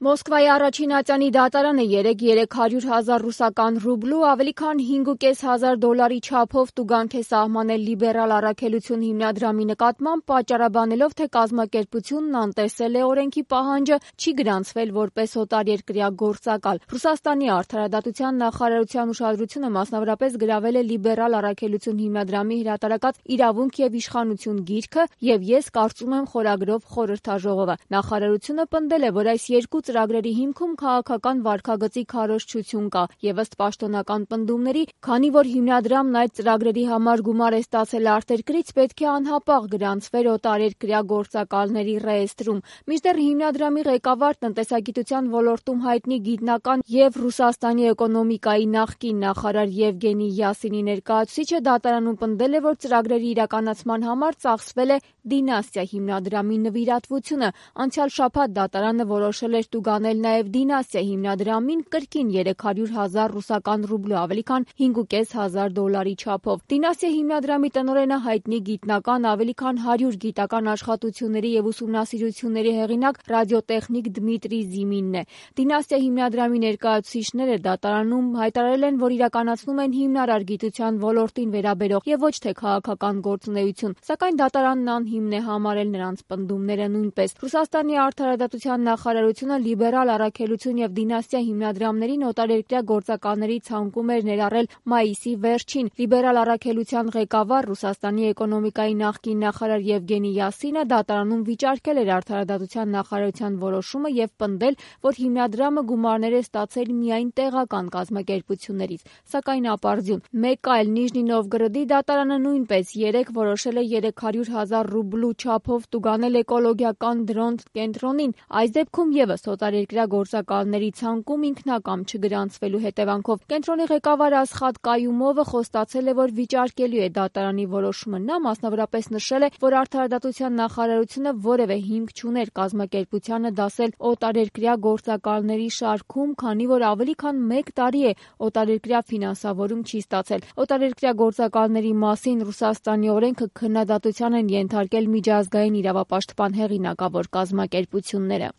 Մոսկվայի առաջին ատյանի դատարանը 300,000 ռուսական ռուբլու ավելի քան 5,500 դոլարի չափով տուգանք է սահմանել լիբերալ առաքելություն հիմնադրամի նկատմամբ, պատճառաբանելով, թե կազմակերպությունն անտեսել է օրենքի պահանջը, չի գրանցվել որպես օտարերկրյա գործակալ։ Ռուսաստանի արդարադատության նախարարության ուշադրությունը մասնավորապես գրավել է լիբերալ առաքելություն հիմնադրամի հրատարակած «Իրավունք և իշխանություն» գիրքը և «Ես կարծում եմ» խորագրով խորհրդաժողովը։ Նախարարությունը պնդել է, որ այս երկու ծրագրերի հիմքում քաղաքական վարքագծի քարոզչություն կա և ըստ պաշտոնական պնդումների, քանի որ հիմնադրամն այդ ծրագրերի համար գումար է ստացել արտերկրից, պետք է անհապաղ գրանցվեր օտարերկրյա գործակալների ռեեստրում։ Մինչդեռ հիմնադրամի ղեկավար, տնտեսագիտության ոլորտում հայտնի գիտնական և Ռուսաստանի էկոնոմիկայի նախկին նախարար Եվգենի Յասինի ներկայացուցիչը դատարանում պնդել է, որ ծրագրերի իրականացման համար ծախսվել է Դինաստիա հիմնադրամի նվիրատվությունը։ Անցյալ շաբաթ դատարանը որոշել էր տուգանել նաև Դինաստիա հիմնադրամին կրկին 300,000 ռուսական ռուբլու ավելի քան 5,500 դոլարի չափով։ Դինաստիա հիմնադրամի տնօրենը հայտնի գիտնական, ավելի քան 100 գիտական աշխատությունների և ուսումնասիրությունների հեղինակ ռադիոտեխնիկ Դմիտրի Զիմինն է։ Դինաստիա հիմնադրամի ներկայացուցիչները դատարանում հայտարարել են, որ իրականացնում են հիմնարար գիտության ոլորտին վերաբերող և ոչ թե քաղաքական գործունեություն, սակայն դատարանն անհիմն է համարել նրանց պնդումները նույնպես։ Ռուսաստանի արդարադատության նախարարությունը լիբերալ առաքելություն և Դինաստիա հիմնադրամներին օտարերկրյա գործակալների ցանկում էր ներառել մայիսի վերջին։ Լիբերալ առաքելության ղեկավար, Ռուսաստանի էկոնոմիկայի նախկին նախարար Եվգենի Յասինը դատարանում վիճարկել էր արդարադատության նախարարության որոշումը և պնդել, որ հիմնադրամը գումարներ է ստացել միայն տեղական կազմակերպություններից, սակայն ապարդյուն։ Մեկ այլ Նիժնի Նովգորոդի դատարանը նույնպես որոշել է 300,000 ռուբլու չափով տուգանել էկոլոգիական դրոնտ կենտրոնին, այս դեպքում ևս օտարերկրյա գործակալների ցանկում ինքնակամ չգրանցվելու հետևանքով։ Կենտրոնի ղեկավար Ասխատ Կայումովը խոստացել է, որ վիճարկելու է դատարանի որոշումը։ Նա մասնավորապես նշել է, որ արդարադատության նախարարությունը որևէ հիմք չուներ կազմակերպությանը դասել օտարերկրյա գործակալների շարքում, քանի որ ավելի քան 1 տարի է օտարերկրյա ֆինանսավորում չի ստացել։ Օտարերկրյա գործակալների մասին Ռուսաստանի օրենքը քննադատության են ենթարկել միջազգային իրավապաշտպան հեղինակավոր կազմակերպությունները։